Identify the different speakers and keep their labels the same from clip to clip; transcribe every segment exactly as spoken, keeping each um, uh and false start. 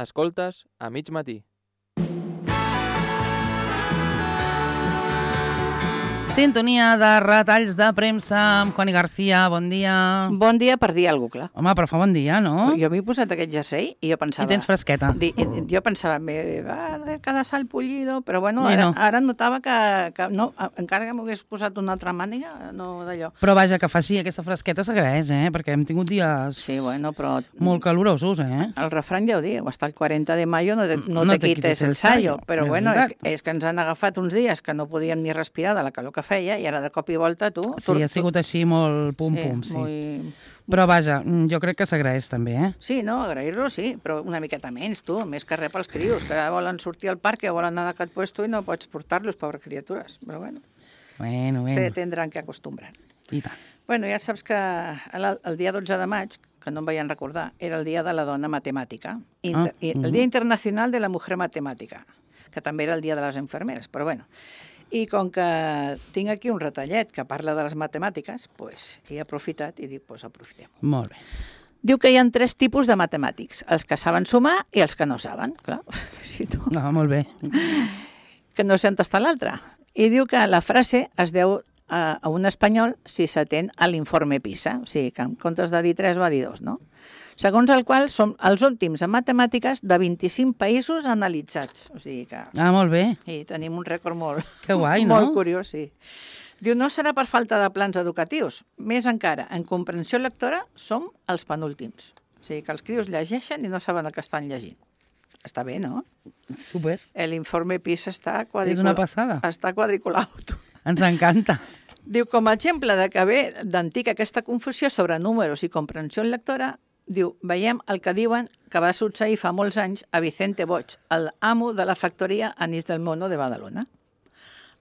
Speaker 1: Escoltes a mig matí.
Speaker 2: Sintonia de retalls de premsa amb Connie García. Bon dia.
Speaker 3: Bon dia per dir alguna cosa, clar.
Speaker 2: Home, però fa bon dia, no?
Speaker 3: Jo m'he posat aquest jersei i jo pensava...
Speaker 2: I tens fresqueta.
Speaker 3: Di, jo pensava, me va cada sal pollido, però bueno,
Speaker 2: I
Speaker 3: ara,
Speaker 2: no.
Speaker 3: ara notava que, que no, encara que m'hagués posat una altra màniga, no d'allò.
Speaker 2: Però vaja, que faci aquesta fresqueta s'agraeix, eh? Perquè hem tingut dies
Speaker 3: Sí, bueno, però...
Speaker 2: molt calorosos, eh?
Speaker 3: El refrany ja ho diu, hasta el quaranta de mayo no te, no
Speaker 2: No
Speaker 3: te
Speaker 2: te
Speaker 3: quites
Speaker 2: quites
Speaker 3: el
Speaker 2: el
Speaker 3: sallo.
Speaker 2: sallo,
Speaker 3: Però
Speaker 2: és
Speaker 3: bueno, és,
Speaker 2: veritat.
Speaker 3: és que ens han agafat uns dies que no podíem ni respirar de la calor que feia i ara de cop i volta tu...
Speaker 2: Sí, ha sigut així molt pum-pum, sí.
Speaker 3: Muy...
Speaker 2: Però vaja, jo crec que s'agraeix també, eh?
Speaker 3: Sí, no, agrair-lo sí, però una miqueta menys, tu, més que res pels crios, que ara volen sortir al parc, que volen anar d'aquest puesto i no pots portar-los, pobres criatures. Però bueno,
Speaker 2: Bueno,
Speaker 3: se
Speaker 2: bueno.
Speaker 3: tendran que acostumbrar.
Speaker 2: I tant.
Speaker 3: Bueno, ja saps que el, el dia dotze de maig, que no em vayan recordar, era el dia de la dona matemàtica, Inter,
Speaker 2: Ah,
Speaker 3: i el
Speaker 2: mhm.
Speaker 3: Dia Internacional de la Mujer Matemàtica, que també era el dia de les infermeres, però bueno. I com que tinc aquí un retallet que parla de les matemàtiques, pues, he aprofitat i dic, pues aprofitem.
Speaker 2: Molt bé.
Speaker 3: Diu que hi ha tres tipus de matemàtics, els que saben sumar i els que no saben, clar, si no,
Speaker 2: Ah, molt bé.
Speaker 3: que no sé on està l'altre. I diu que la frase es deu a, a un espanyol si s'atén a l'informe PISA, o sigui que en comptes de dir tres va dir dos, no? Segons el qual som els últims en matemàtiques de vint-i-cinc països analitzats. O sigui que
Speaker 2: Ah, molt bé.
Speaker 3: i tenim un rècord molt,
Speaker 2: Que guai, no?
Speaker 3: molt curiós, sí. Diu, no serà per falta de plans educatius. Més encara, en comprensió lectora som els penúltims. O sigui que els crios llegeixen i no saben el que estan llegint. Està bé, no?
Speaker 2: Super.
Speaker 3: L'informe PISA està quadriculat.
Speaker 2: És una passada.
Speaker 3: Està quadriculat.
Speaker 2: Ens encanta.
Speaker 3: Diu, com a exemple de que ve d'antic aquesta confusió sobre números i comprensió lectora, diu, veiem el que diuen que va succeir fa molts anys a Vicente Boig, l'amo de la factoria Anís del Mono de Badalona.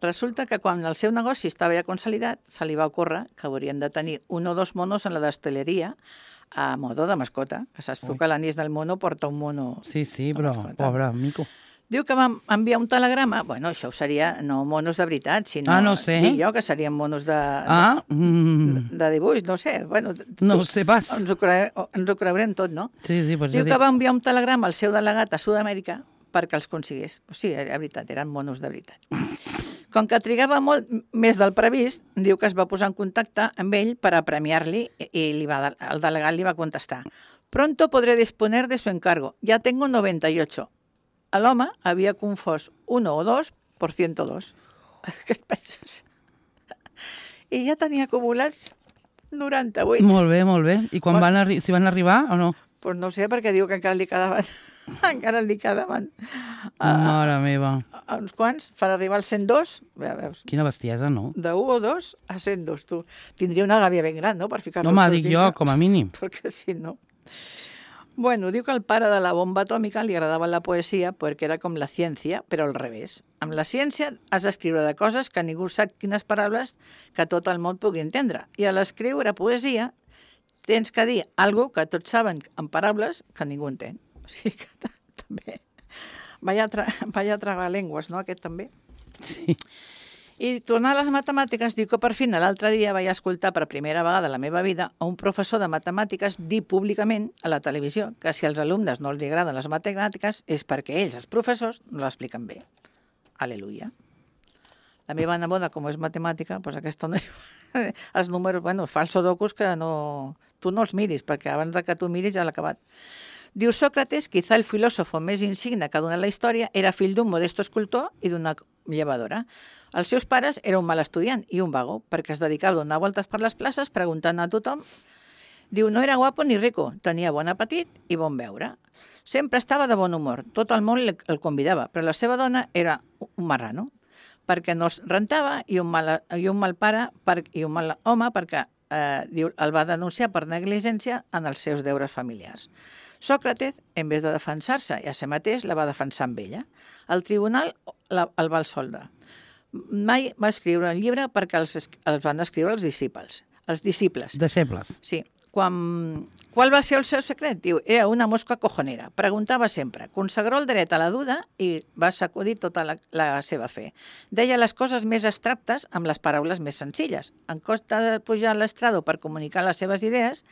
Speaker 3: Resulta que quan el seu negoci estava ja consolidat, se li va ocórrer que haurien de tenir un o dos monos en la desteleria a modo de mascota, que saps tu que l'Anís del Mono porta un mono...
Speaker 2: Sí, sí,
Speaker 3: de
Speaker 2: però
Speaker 3: mascota.
Speaker 2: pobre mico.
Speaker 3: Diu que vam enviar un telegrama, bueno, això seria no monos de veritat, sinó...
Speaker 2: Ah, no sé.
Speaker 3: Dic jo que serien monos de,
Speaker 2: Ah,
Speaker 3: de,
Speaker 2: mm,
Speaker 3: de dibuix, no sé. Bueno, tu,
Speaker 2: no ho sé pas.
Speaker 3: ens, ho cre... ens ho creurem tot, no?
Speaker 2: Sí, sí, per
Speaker 3: Diu
Speaker 2: això
Speaker 3: que
Speaker 2: dic.
Speaker 3: va enviar un telegrama al seu delegat a Sud-amèrica perquè els consigués. O sigui, era veritat, eren monos de veritat. Com que trigava molt més del previst, diu que es va posar en contacte amb ell per a premiar-li i li va, el delegat li va contestar: «Pronto podré disponer de su encargo. Ya tengo noventa y ocho». L'home havia confós uno o dos por ciento dos. Què et penses? I ja tenia acumulats noranta-vuit.
Speaker 2: Molt bé, molt bé. I quan
Speaker 3: Bueno.
Speaker 2: van arri si van arribar o no?
Speaker 3: Pues no sé, perquè diu que encara li quedaven... encara li quedaven... a-
Speaker 2: Mare meva.
Speaker 3: a uns quants, per arribar al cent dos, ja veus,
Speaker 2: Quina bestiesa, no?
Speaker 3: de u o dos a cent dos, tu. Tindria una gàbia ben gran, no?, per ficar-los
Speaker 2: No, home,
Speaker 3: tots
Speaker 2: dic jo,
Speaker 3: dintre.
Speaker 2: com a mínim.
Speaker 3: Perquè si no... Bueno, diu que al pare de la bomba atòmica li agradava la poesia perquè era com la ciència, però al revés. Amb la ciència has d'escriure de coses que ningú sap quines paraules que tot el món pugui entendre. I a l'escriure poesia tens que dir alguna que tots saben en paraules que ningú entén. O sigui que ta- també... Vaya, tra... Vaya tragalengües, no?, aquest també.
Speaker 2: Sí.
Speaker 3: I tornar a les matemàtiques, diu que per fi l'altre dia vaig escoltar per primera vegada a la meva vida a un professor de matemàtiques dir públicament a la televisió que si als alumnes no els agraden les matemàtiques és perquè ells, els professors, no l'expliquen bé. Aleluia. La meva neboda, com és matemàtica, doncs aquesta no... els números, bueno, fa els sudokus que no... Tu no els miris, perquè abans de que tu miris ja l'ha acabat. Diu Sócrates, quizá el filòsofo més insigne que ha donat la història, era fill d'un modesto escultor i d'una llevadora. Els seus pares eren un mal estudiant i un vago, perquè es dedicava a donar voltes per les places preguntant a tothom. Diu, no era guapo ni rico, tenia bon apetit i bon beure. Sempre estava de bon humor, tot el món el convidava, però la seva dona era un marrano, perquè no es rentava i un mal, i un mal pare per, i un mal home perquè eh, diu, el va denunciar per negligència en els seus deures familiars. Sòcrates, en vez de defensar-se i a si mateix, la va defensar amb ella. El tribunal la, el va absoldre. Mai va escriure un llibre perquè els, els van escriure els disciples. Els disciples.
Speaker 2: Deixebles.
Speaker 3: Sí. Quan, qual va ser el seu secret? Diu, era una mosca cojonera. Preguntava sempre. Consagró el dret a la duda i va sacudir tota la, la seva fe. Deia les coses més abstractes amb les paraules més senzilles. En costa de pujar a l'estrado per comunicar les seves idees,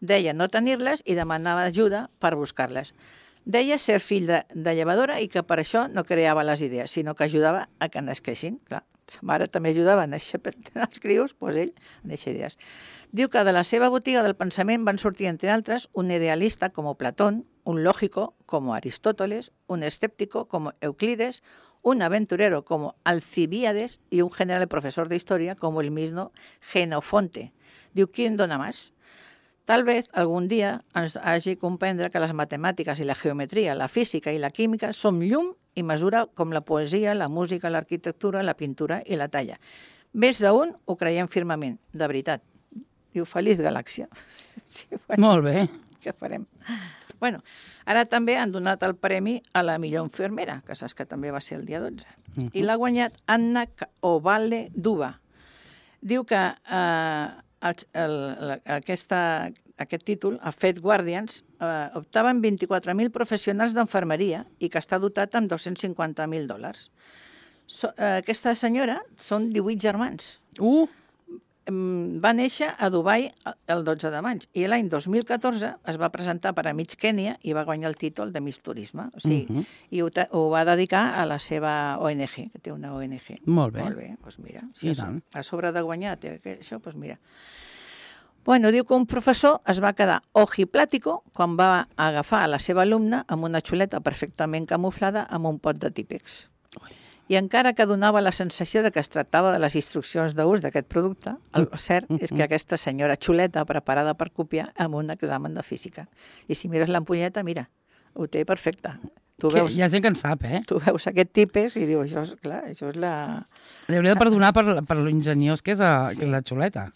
Speaker 3: deia no tenir-les i demanava ajuda per buscar-les. Deia ser fill de, de llevadora i que per això no creava les idees, sinó que ajudava a que nasquessin. Clar, sa mare també ajudava a néixer els crios, doncs ell a néixer idees. Diu que de la seva botiga del pensament van sortir, entre altres, un idealista com Platón, un lógico como Aristóteles, un escéptico como Euclides, un aventurero como Alcibíades y un general profesor de historia como el mismo Genofonte. Diu, ¿quién dona más? Tal vez algun dia ens hagi comprendre que les matemàtiques i la geometria, la física i la química són llum i mesura com la poesia, la música, l'arquitectura, la pintura i la talla. Més d'un ho creiem firmament, de veritat. Diu, feliç galàxia. Sí, bueno,
Speaker 2: Molt bé.
Speaker 3: què farem? Bueno, ara també han donat el premi a la millor infermera, que saps que també va ser el dia dotze. Uh-huh. I l'ha guanyat Anna Ovale Duba. Diu que eh, el, el, aquesta, aquest títol, a Fed Guardians, eh, optaven vint-i-quatre mil professionals d'enfermeria i que està dotat amb dos-cents cinquanta mil dòlars. So, eh, aquesta senyora són divuit germans.
Speaker 2: Uh,
Speaker 3: Va néixer a Dubai el dotze de maig i l'any dos mil catorze es va presentar per a Miss Kènia i va guanyar el títol de Miss Turisme. O sigui, uh-huh. I ho, ho va dedicar a la seva O N G, que té una O N G.
Speaker 2: Molt bé.
Speaker 3: Molt bé, doncs mira. Si és, a sobre de guanyar té això, doncs mira. Bueno, diu que un professor es va quedar ojiplático quan va agafar a la seva alumna amb una xuleta perfectament camuflada amb un pot de típex. I encara que donava la sensació de que es tractava de les instruccions d'ús d'aquest producte, el cert és que aquesta senyora xuleta preparada per copiar amb un examen de física. I si mires l'ampolleta, mira, ho té perfecte. Tu veus,
Speaker 2: hi ha gent que en sap, eh?
Speaker 3: Tu veus aquest típex i dius, això és, clar, això és la...
Speaker 2: Li hauria de perdonar per, per l'ingeniós que és, a, sí. que és la xuleta.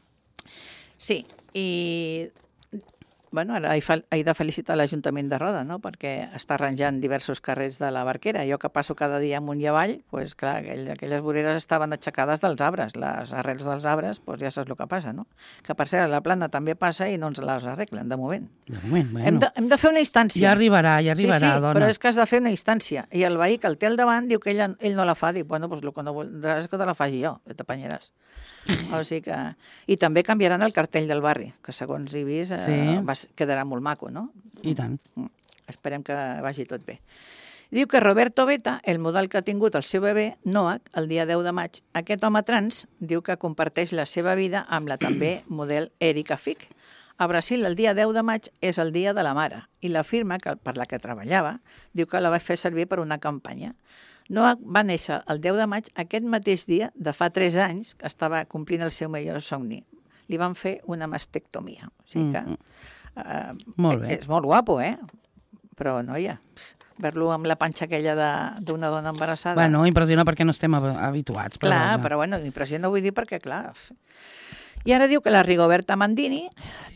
Speaker 3: Sí, i... Bueno, ara he de felicitar l'Ajuntament de Roda, no?, perquè està arranjant diversos carrers de la Barquera. Jo que passo cada dia amunt i avall, doncs clar, aquell, aquelles voreres estaven aixecades dels arbres. Les arrels dels arbres, doncs ja saps el que passa, no? Que per cert, la plana també passa i no ens les arreglen, de moment.
Speaker 2: De moment, bueno.
Speaker 3: Hem de, hem de fer una instància.
Speaker 2: Ja arribarà, ja arribarà,
Speaker 3: sí, sí,
Speaker 2: dona.
Speaker 3: Però és que has de fer una instància. I el veí que el té al davant diu que ell, ell no la fa. Diu, bueno, doncs el que no voldràs és que te la faci jo, que t'apanyaràs. O sigui que... I també canviaran el cartell del barri, que segons he vist eh, sí. va, quedarà molt maco, no?
Speaker 2: I tant.
Speaker 3: Esperem que vagi tot bé. Diu que Roberto Beta, el model que ha tingut el seu bebè, Noah, el dia deu de maig, aquest home trans diu que comparteix la seva vida amb la també model Erika Fick. A Brasil, el dia deu de maig és el dia de la mare i la firma que, per la que treballava diu que la va fer servir per una campanya. Noah va néixer el deu de maig aquest mateix dia de fa tres anys que estava complint el seu millor somni. Li van fer una mastectomia. O sigui que uh,
Speaker 2: molt bé.
Speaker 3: És molt guapo, eh? Però, noia, ver-lo amb la panxa aquella d'una dona embarassada...
Speaker 2: Bueno, impressiona perquè no estem habituats. Però
Speaker 3: clar,
Speaker 2: ja.
Speaker 3: Però bueno, impressiona vull dir perquè, clar... I ara diu que la Rigoberta Mandini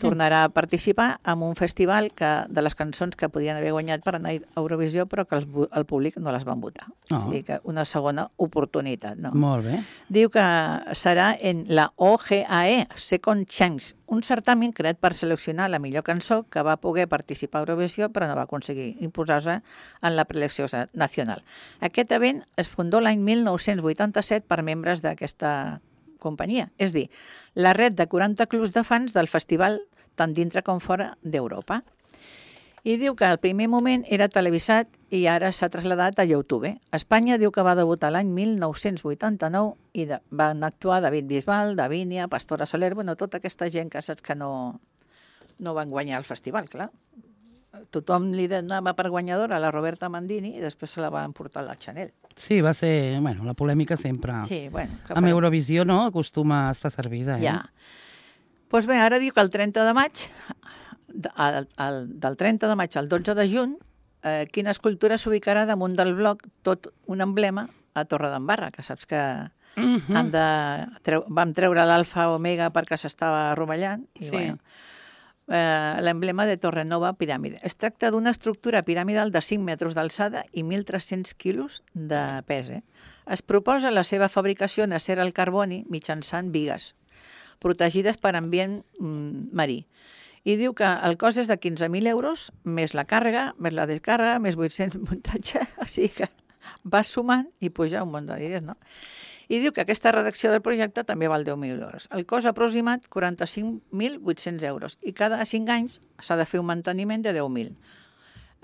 Speaker 3: tornarà a participar en un festival que, de les cançons que podien haver guanyat per anar a Eurovisió, però que els, el públic no les van votar. Oh. O sigui que una segona oportunitat. No?
Speaker 2: Molt bé.
Speaker 3: Diu que serà en la O G A E, Second Chance, un certamen creat per seleccionar la millor cançó que va poder participar a Eurovisió, però no va aconseguir imposar-se en la preelecció nacional. Aquest event es fundó l'any mil nou-cents vuitanta-set per membres d'aquesta companyia. És dir, la red de quaranta clubs de fans del festival tant dintre com fora d'Europa. I diu que al primer moment era televisat i ara s'ha traslladat a YouTube. Espanya diu que va debutar l'any mil nou-cents vuitanta-nou i de, van actuar David Bisbal, Davinia, Pastora Soler, bueno, tota aquesta gent que saps que no, no van guanyar el festival, clar. Tothom li donava per guanyadora a la Roberta Mandini i després se la van portar a la Chanel.
Speaker 2: Sí, va ser, bueno, la polèmica sempre.
Speaker 3: Sí, bueno.
Speaker 2: Amb Eurovisió, no?, acostuma a estar servida, eh?
Speaker 3: Ja. Doncs pues bé, ara diu que el trenta de maig, el, el, del trenta de maig al dotze de juny, eh, quina escultura s'ubicarà damunt del bloc tot un emblema a Torredembarra, que saps que uh-huh. han de treu, vam treure l'alfa omega perquè s'estava rovellant. I
Speaker 2: sí.
Speaker 3: Bueno, Eh, l'emblema de Torrenova Piràmide. Es tracta d'una estructura piramidal de cinc metres d'alçada i mil tres-cents quilos de pes. Eh? Es proposa la seva fabricació en acer al carboni mitjançant bigues, protegides per ambient mm, marí. I diu que el cost és de quinze mil euros, més la càrrega, més la descàrrega, més vuit-cents muntatge, o sigui que va sumant i puja un munt de diners, no? I diu que aquesta redacció del projecte també val deu mil euros. El cost aproximat, quaranta-cinc mil vuit-cents euros. I cada cinc anys s'ha de fer un manteniment de deu mil.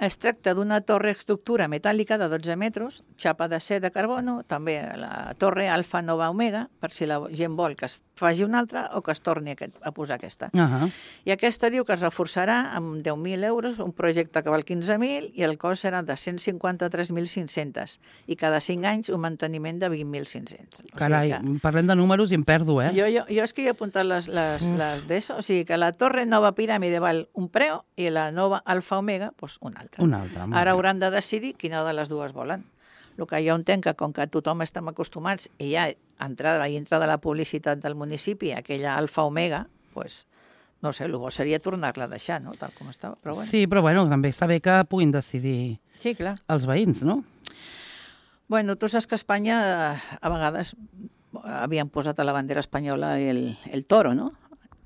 Speaker 3: Es tracta d'una torre estructura metàl·lica de dotze metres, xapa d'acer de carbono, també la torre Alfa Nova Omega, per si la gent vol que es faci una altra o que es torni a posar aquesta.
Speaker 2: Uh -huh.
Speaker 3: I aquesta diu que es reforçarà amb deu mil euros, un projecte que val quinze mil i el cost serà de cent cinquanta-tres mil cinc-cents i cada cinc anys un manteniment de vint mil cinc-cents.
Speaker 2: Carai,
Speaker 3: o sigui que...
Speaker 2: parlem de números i em perdo, eh?
Speaker 3: Jo, jo, jo és que hi he apuntat les, les, les d'això, o sigui que la torre Nova Piràmide val un preu i la nova Alfa Omega, doncs un altre.
Speaker 2: Un altre.
Speaker 3: Ara hauran de decidir quina de les dues volen. El que jo entenc que com que tothom estem acostumats i ja entrada i entrada la publicitat del municipi, aquella Alfa Omega, doncs, no sé, el bo seria tornar-la a deixar, no?, tal com estava. Però bueno.
Speaker 2: Sí, però bueno, també està bé que puguin decidir
Speaker 3: sí, clar.
Speaker 2: els veïns, no?
Speaker 3: Bueno, tu saps que a Espanya a vegades havien posat a la bandera espanyola el, el toro, no?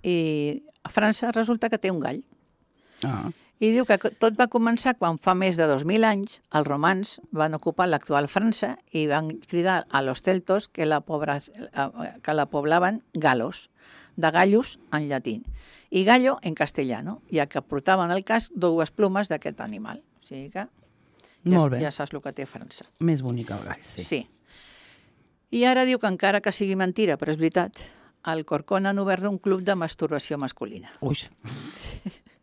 Speaker 3: I a França resulta que té un gall.
Speaker 2: Ah.
Speaker 3: I diu que tot va començar quan fa més de dos mil anys els romans van ocupar l'actual França i van cridar a los celtos que la, pobra, que la poblaven galos, de gallos en llatí, i gallo en castellano, ja que portaven al casc dues plomes d'aquest animal. O sigui que ja,
Speaker 2: Molt bé.
Speaker 3: ja saps el que té França.
Speaker 2: Més bonic el gall, sí.
Speaker 3: Sí. I ara diu que encara que sigui mentira, però és veritat, al Corcón han obert un club de masturbació masculina.
Speaker 2: Ui.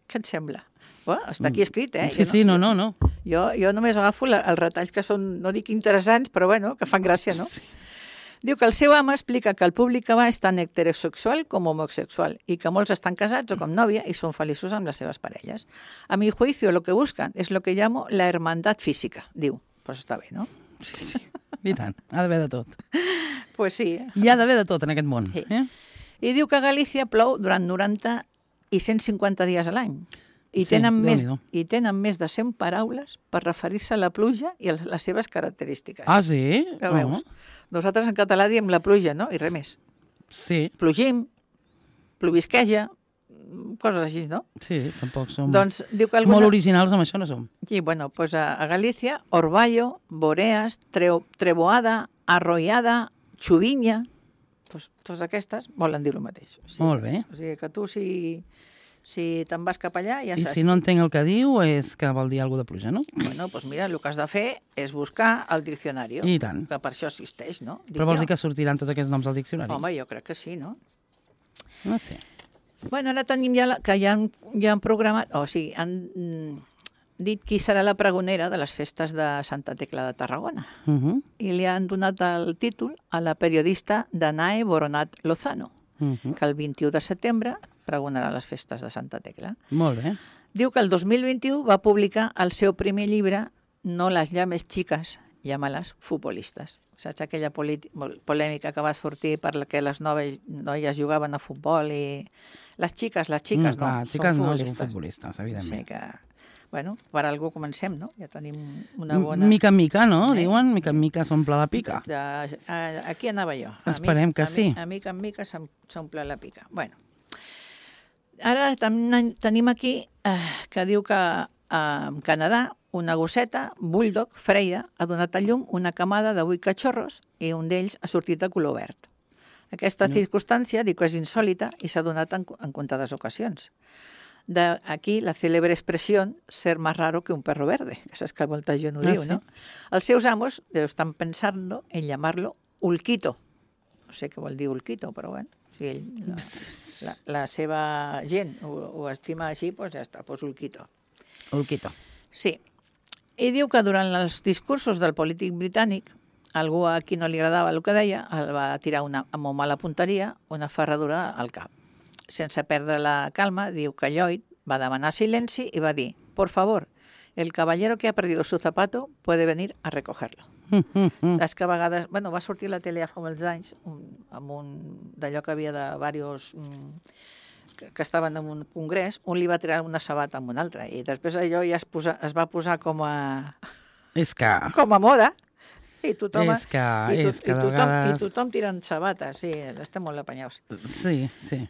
Speaker 3: Què et sembla? Bueno, està aquí escrit, eh?
Speaker 2: Sí, sí, no, no, no.
Speaker 3: Jo, jo només agafo la, els retalls que són, no dic interessants, però bueno, que fan gràcia, no? Sí. Diu que el seu home explica que el públic que va és tant heterosexual com homosexual i que molts estan casats o com nòvia i són feliços amb les seves parelles. A mi juicio, lo que buscan es lo que llamo la hermandad física, diu. Pues està bé, no?
Speaker 2: Sí, sí. I tant, ha d'haver de tot.
Speaker 3: Pues sí.
Speaker 2: Hi ha d'haver de tot en aquest món.
Speaker 3: Sí.
Speaker 2: Eh?
Speaker 3: I diu que a Galícia plou durant noranta i cent cinquanta dies a l'any. I,
Speaker 2: Sí,
Speaker 3: tenen més,
Speaker 2: Déu-n'hi-do.
Speaker 3: I tenen més de cent paraules per referir-se a la pluja i a les seves característiques.
Speaker 2: Ah, sí?
Speaker 3: Ja veus? Nosaltres en català diem la pluja, no? I res més.
Speaker 2: Sí,
Speaker 3: Plogim, plovisqueja, coses així, no?
Speaker 2: sí, tampoc som
Speaker 3: Doncs diu que
Speaker 2: molt
Speaker 3: alguna...
Speaker 2: originals amb això, no som.
Speaker 3: Sí, bueno, pues a, a Galícia, orvallo, boreas, treo, treboada, arrollada, xuvinya, pues, totes aquestes volen dir el mateix. O sigui,
Speaker 2: Molt bé.
Speaker 3: O sigui que tu, si, si te'n vas cap allà, ja
Speaker 2: I
Speaker 3: saps.
Speaker 2: si no entenc el que diu és que vol dir alguna de pluja, no?
Speaker 3: Bueno, doncs mira, el que has de fer és buscar el diccionari,
Speaker 2: I tant.
Speaker 3: que per això existeix, no? Dic
Speaker 2: Però vols
Speaker 3: jo.
Speaker 2: dir que sortiran tots aquests noms al diccionari?
Speaker 3: Home, jo crec que sí, no?
Speaker 2: No sé.
Speaker 3: Bueno, ara tenim ja la, que ja han, ja han programat, o sigui, han mm, dit qui serà la pregonera de les festes de Santa Tecla de Tarragona.
Speaker 2: Uh -huh.
Speaker 3: I li han donat el títol a la periodista Danae Boronat Lozano,
Speaker 2: Uh -huh.
Speaker 3: que el vint-i-u de setembre pregonarà les festes de Santa Tecla.
Speaker 2: Molt bé.
Speaker 3: Diu que el dos mil vint-i-u va publicar el seu primer llibre No las llames chicas, llámalas futbolistes. Saps aquella polèmica que va sortir per la que les noves noies jugaven a futbol i les xiques, les xiques
Speaker 2: Mm,
Speaker 3: no,
Speaker 2: clar,
Speaker 3: són
Speaker 2: xiques no,
Speaker 3: futbolistes.
Speaker 2: són futbolistes, evidentment.
Speaker 3: Sí que, bueno, per algú comencem, no? Ja tenim una bona...
Speaker 2: Mica en mica, no?
Speaker 3: Eh?
Speaker 2: Diuen, mica en mica s'omple la pica.
Speaker 3: De, a, aquí anava jo. A
Speaker 2: Esperem
Speaker 3: mi,
Speaker 2: que
Speaker 3: a
Speaker 2: sí.
Speaker 3: Mi, a mica en mica s'om- s'omple la pica. Bueno, ara tam- tenim aquí eh, que diu que eh, en Canadà una gosseta, bulldog, Freya, ha donat a llum una camada de vuit cachorros i un d'ells ha sortit de color verd. Aquesta
Speaker 2: No.
Speaker 3: circumstància, dic que és insòlita i s'ha donat en, en comptades ocasions. De aquí la cèlebre expressió ser más raro que un perro verde, que saps que molta gent ho
Speaker 2: Ah,
Speaker 3: diu,
Speaker 2: sí?
Speaker 3: no? Els seus amos estan pensando en llamarlo Ulquito. No sé què vol dir Ulquito, però bueno, si ell, la, la, la seva gent ho, ho estima així, doncs ja està, doncs Ulquito.
Speaker 2: Ulquito.
Speaker 3: Sí. I diu que durant els discursos del polític britànic, algú a qui no li agradava el que deia, el va tirar una, amb molt mala punteria una ferradura al cap. Sense perdre la calma, diu que Lloyd va demanar silenci i va dir: por favor, el caballero que ha perdido su zapato puede venir a recogerlo.
Speaker 2: Mm, mm, mm.
Speaker 3: Saps que a vegades... Bueno, va sortir a la tele fa molts anys un, amb un d'allò que havia de diversos... Mm, que, que estaven en un congrés, un li va tirar una sabata amb un altre i després allò ja es, posa, es va posar com a,
Speaker 2: És que...
Speaker 3: com a moda i tothom,
Speaker 2: És que...
Speaker 3: i,
Speaker 2: És que
Speaker 3: i,
Speaker 2: de
Speaker 3: tothom, i
Speaker 2: vegades...
Speaker 3: tothom tirant sabates, sí, estem molt apanyaus.
Speaker 2: Sí, sí.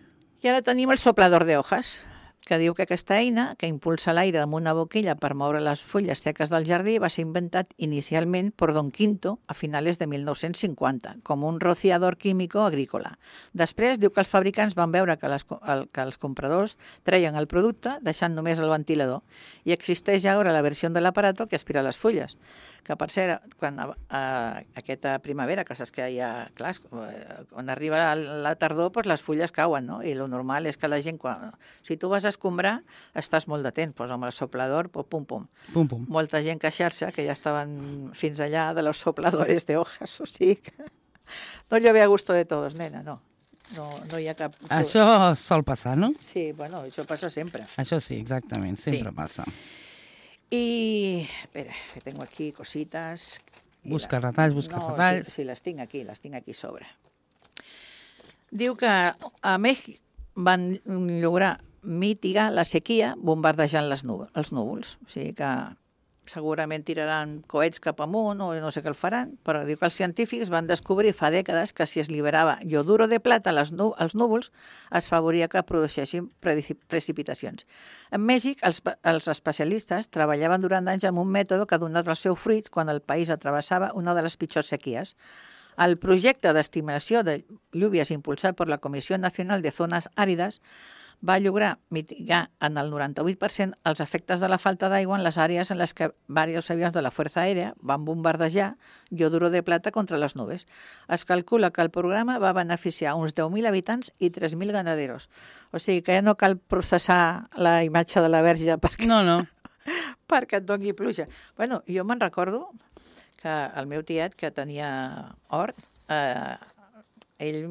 Speaker 3: I ara tenim el soplador de hojas. que diu que aquesta eina, que impulsa l'aire amb una boquilla per moure les fulles seques del jardí, va ser inventat inicialment per Don Quinto a finales de mil nou-cents cinquanta, com un rociador químico agrícola. Després diu que els fabricants van veure que, les, el, que els compradors treien el producte deixant només el ventilador, i existeix ara la versió de l'aparato que aspira les fulles, que per cert, quan a, a, aquesta primavera, que saps que hi ha, clar, quan arriba la tardor, doncs les fulles cauen, no? I el normal és que la gent, quan, si tu vas a escombrar, estàs molt de temps, doncs amb el soplador, pues, pum, pum.
Speaker 2: Pum, pum.
Speaker 3: Molta gent queixar-se que ja estaven fins allà de los sopladores de hojas, o sigui que no llove a gusto de todos, nena, no. No, no hi ha cap...
Speaker 2: Això sol passar, no?
Speaker 3: Sí, bueno, això passa sempre.
Speaker 2: Això sí, exactament, sempre
Speaker 3: Sí.
Speaker 2: passa.
Speaker 3: Y, espera, que tengo aquí cositas. I
Speaker 2: Busca
Speaker 3: la-
Speaker 2: retalls, busca
Speaker 3: no,
Speaker 2: retalls.
Speaker 3: Sí, sí, les tinc aquí, les tinc aquí sobre. Diu que a Mèxic van lograr mitigar la sequia bombardejant les núvols, els núvols. O sigui que segurament tiraran coets cap amunt o no sé què el faran, però diu que els científics van descobrir fa dècades que si es liberava ioduro de plata als, nú als núvols es favoria que produeixessin precipitacions. En Mèxic, els, els especialistes treballaven durant anys amb un mètode que ha donat els seus fruits quan el país atravessava una de les pitjors sequies. El projecte d'estimació de llúvies impulsat per la Comissió Nacional de Zones Àrides va lograr mitigar en el noranta-vuit per cent els efectes de la falta d'aigua en les àrees en les que diversos avions de la Fuerza Aèria van bombardejar ioduro de plata contra les nubes. Es calcula que el programa va beneficiar uns deu mil habitants i tres mil ganaderos. O sigui que ja no cal processar la imatge de la Verge perquè,
Speaker 2: No, no.
Speaker 3: perquè et doni pluja. Bueno, jo me'n recordo que el meu tiet, que tenia hort, eh, ell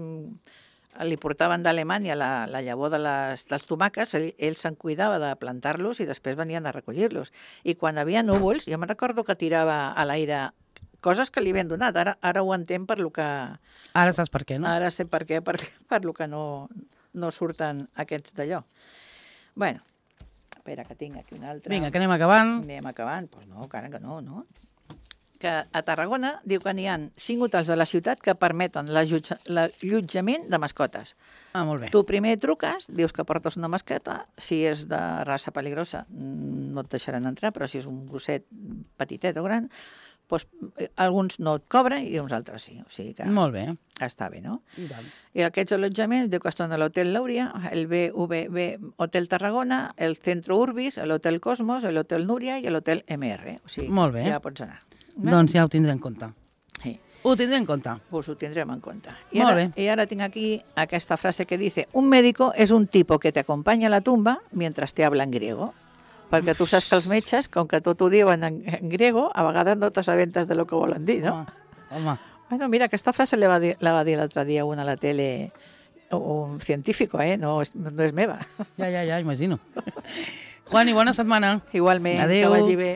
Speaker 3: li portaven d'Alemanya la, la llavor de les, dels tomàquets, ell, ell se'n cuidava de plantar-los i després venien a recollir-los. I quan hi havia núvols, jo me'n recordo que tirava a l'aire coses que li havien donat. Ara, ara ho entenc per lo que...
Speaker 2: Ara saps per què, no?
Speaker 3: Ara sé per què, per, per lo que no, no surten aquests d'allò. Bueno, espera, que tinc aquí un altre.
Speaker 2: Vinga, que anem acabant.
Speaker 3: Anem acabant? Doncs pues no, encara que no, no? Que a Tarragona diu que n'hi ha cinc hotels de la ciutat que permeten l'allotjament de mascotes.
Speaker 2: Ah, molt bé.
Speaker 3: Tu primer truques, dius que portes una mascota, si és de raça peligrosa no et deixaran entrar, però si és un gosset petitet o gran, doncs alguns no et cobren i uns altres sí. O sigui que
Speaker 2: Molt bé.
Speaker 3: està bé, no?
Speaker 2: I tant.
Speaker 3: I aquests allotjaments diu que estan a l'Hotel Lauria, el B V B Hotel Tarragona, el Centro Urbis, l'Hotel Cosmos, l'Hotel Núria i l'Hotel M R. O sigui,
Speaker 2: Molt bé.
Speaker 3: ja pots anar.
Speaker 2: Doncs ja ho tindré en compte.
Speaker 3: Sí.
Speaker 2: Ho tindré en compte.
Speaker 3: Pues ho tendremos en cuenta. Y
Speaker 2: Molt
Speaker 3: ahora,
Speaker 2: bé.
Speaker 3: y ahora tengo aquí esta frase que dice: un médico es un tipo que te acompaña a la tumba mientras te habla en griego. Perquè tu saps que els metges, com que tot ho diuen en, en griego, a vegades no t'assabentes de lo que volen dir, no?
Speaker 2: Home, home.
Speaker 3: Bueno, mira, aquesta frase la va dir, la va dir l'altre dia una a la tele, un científico, eh? No, és, no és meva.
Speaker 2: Ja, ja, ja, imagino. Juan, i bona setmana.
Speaker 3: Igualment,
Speaker 2: Adéu.
Speaker 3: que vagi bé.